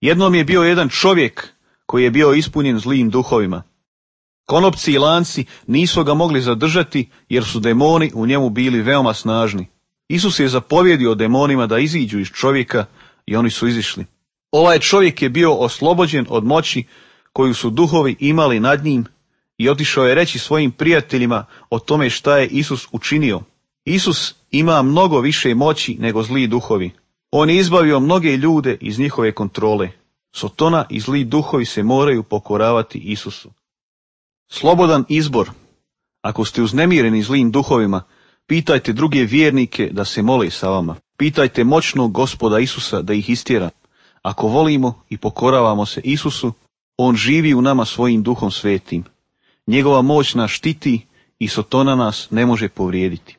Jednom je bio jedan čovjek koji je bio ispunjen zlim duhovima. Konopci i lanci nisu ga mogli zadržati jer su demoni u njemu bili veoma snažni. Isus je zapovjedio demonima da iziđu iz čovjeka i oni su izišli. Ovaj čovjek je bio oslobođen od moći koju su duhovi imali nad njim i otišao je reći svojim prijateljima o tome šta je Isus učinio. Isus ima mnogo više moći nego zli duhovi. On je izbavio mnoge ljude iz njihove kontrole. Sotona i zli duhovi se moraju pokoravati Isusu. Slobodan izbor. Ako ste uznemireni zlim duhovima, pitajte druge vjernike da se mole sa vama. Pitajte moćnog Gospoda Isusa da ih istjera. Ako volimo i pokoravamo se Isusu, on živi u nama svojim duhom svetim. Njegova moć nas štiti i Sotona nas ne može povrijediti.